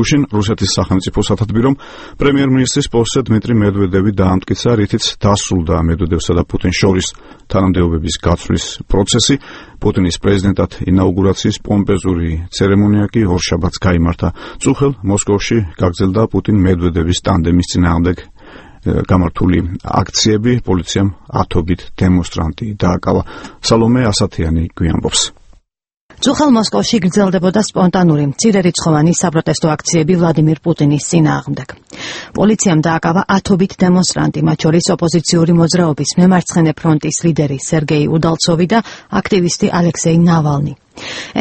გუშინ რუსეთის სახელმწიფო სათათბირომ პრემიერ-მინისტრის პოსტზე დმიტრი მედვედევი დაამტკიცა, რითიც დასრულდა მედვედევსა და პუტინს შორის თანამდებობების გაცვლის პროცესი. პუტინის პრეზიდენტად ინაუგურაციის პომპეზური ცერემონია კი ორშაბათს გაიმართა. წუხელ მოსკოვში გაგრძელდა პუტინ-მედვედევის ტანდემის წინააღმდეგ გამართული აქციები. პოლიციამ ათობით დემონსტრანტი დააკავა. სალომე ასათიანი გვიანბობს. წუხელ მოსკოვში გრძელდებოდა სპონტანური მცირერიცხოვანი საპროტესტო აქციები ვლადიმირ პუტინის წინააღმდეგ. პოლიციამ დააკავა ათობით დემონსტრანტი, მათ შორის ოპოზიციური მოძრაობის მემარცხენე ფრონტის ლიდერი სერგეი უდალცოვი და აქტივისტი ალექსეი ნავალნი.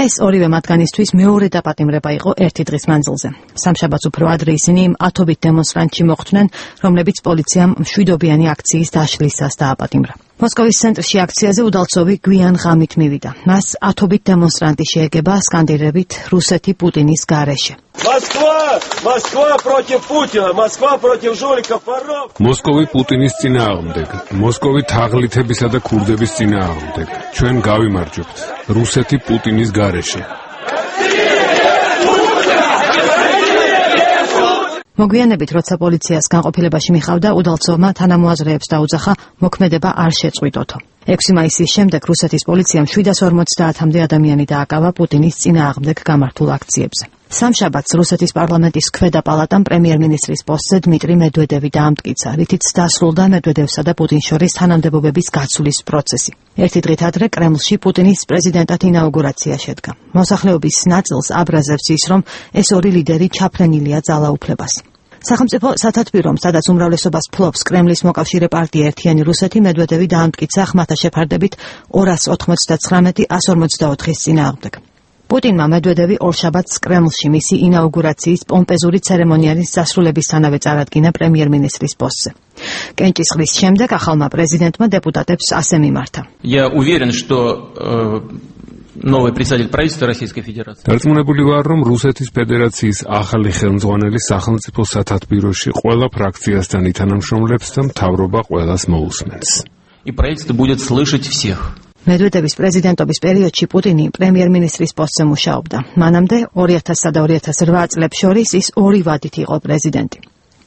ეს ორივე მათგანისთვის მეორე დაპატიმრება იყო ერთი დღის მანძილზე. სამშაბათს უფრო ადრე ისინი იმ ათობით დემონსტრანტში მოხვდნენ, რომლებიც პოლიციამ მშვიდობიანი აქციის დაშლისას დააპატიმრა. მოსკოვის ცენტრში აქციაზე უდალცოვი გვიან ღამით მივიდა. მას ათობით დემონსტრანტი შეეგება სკანდირებით რუსეთი პუტინის გარეშე. Moskva против Путина, Moskva против жуликов, воров. მოსკოვი პუტინის წინააღმდეგ, მოსკოვი თაღლითებისა და ქურდების წინააღმდეგ. ჩვენ გავიმარჯვებთ. რუსეთი პუტინის გარეშე. მოგვიანებით, როცა პოლიციას განყოფილებაში მიხავდა, უდალცოვმა თანამოაზრეებს დაუძახა მოქმედება არ შეწყვიტოთო. 6 მაისის შემდეგ რუსეთის პოლიციამ 750-მდე ადამიანი დააკავა პუტინის წინააღმდეგ გამართულ აქციებზე. სამშაბათს რუსეთის პარლამენტის ქვედა პალატამ პრემიერ-მინისტრის პოსტზე დმიტრი მედვედევი დაამტკიცა, რითიც დასრულდა მედვედევსა და პუტინს შორის თანამდებობების გაცვლის პროცესი. ერთი დღით ადრე კრემლში პუტინის პრეზიდენტად ინაუგურაცია შედგა. მოსახლეობის ნაწილს აბრაზებს ის, რომ ეს ორი ლიდერი ჩაფრენილია ძალაუფლებას. სახელმწიფო სათათბირომ, სადაც უმრავლესობას ფლობს კრემლის მოკავშირე პარტია ერთიანი რუსეთი, მედვედევი დაამტკიცა ხმათა შეფარდებით 219-154-ის წინააღმდეგ. პუტინმა მედვედევი ორშაბათს კრემლში მისი ინაუგურაციის პომპეზური ცერემონიალის დასრულებისთანავე წარადგინა პრემიერ-მინისტრის პოსტზე. კენჭისყრის შემდეგ ახალმა პრეზიდენტმა დეპუტატებს ასე მიმართა. Я уверен, что новый председатель правительства Российской Федерации. დარწმუნებული ვარ, რომ რუსეთის ფედერაციის ახალი ხელმძღვანელი სახელმწიფო სათათბიროში ყველა ფრაქციასთან ითანამშრომლებს და მთავრობა ყველას მოусმენს. И правительство будет слышать всех. მედვედევის პრეზიდენტობის პერიოდში პუტინი პრემიერ-მინისტრის პოსტზე მუშაობდა. მანამდე 2000 და 2008 წლებს შორის ის ორი ვადით იყო პრეზიდენტი.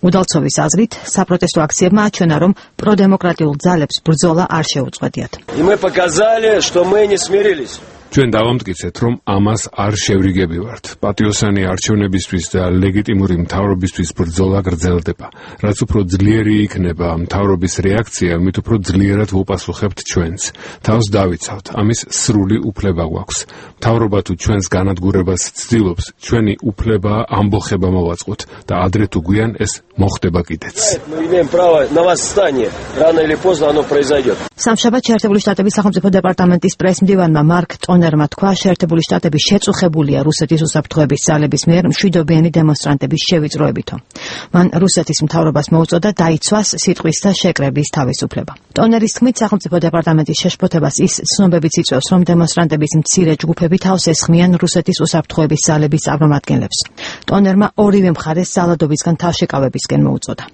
უდალცოვის აზრით, საპროტესტო აქციებმა აჩვენა, რომ პროდემოკრატიულ ძალებს ბრძოლა არ შეუწყვეტიათ. И мы показали, что мы не смирились. ჩვენ დავამტკიცეთ, რომ ამას არ შევრიგებივართ. პატიოსანი არჩევნებისთვის და ლეგიტიმური მთავრობისთვის ბრძოლა გრძელდება. რაც უფრო ძლიერი იქნება მთავრობის რეაქცია, მით უფრო ძლიერად ვუპასუხებთ ჩვენს. თავს დავიცავთ, ამის სრული უფლება გვაქვს. მთავრობა თუ ჩვენს განადგურებას ცდილობს, ჩვენი უფლება ამბოხება მოვაწყოთ და ადრე თუ გვიან ეს მოხდება კიდეც. Мы имеем право на восстание. Рано или поздно оно произойдет. სამშაბათს შეერთებული შტატების სახელმწიფო დეპარტამენტის პრესმდივანმა მარკ ტონერმა თქვა, შეერთებული შტატები შეწუხებულია რუსეთის უსაფრთხოების ძალების მიერ მშვიდობიანი დემონსტრანტების შევიწროებითო. მან რუსეთის მთავრობას მოუწოდა დაიცვას სიტყვის და შეკრების თავისუფლება. ტონერის თქმით, სახელმწიფო დეპარტამენტის შეშფოთებას ის ცნობებიც იწვევს, რომ დემონსტრანტების მცირე ჯგუფები თავს ესხმიან რუსეთის უსაფრთხოების ძალების წარმომადგენლებს. ტონერმა ორივე მხარეს ძალადობისგან თავშეკავებისკენ მოუწოდა.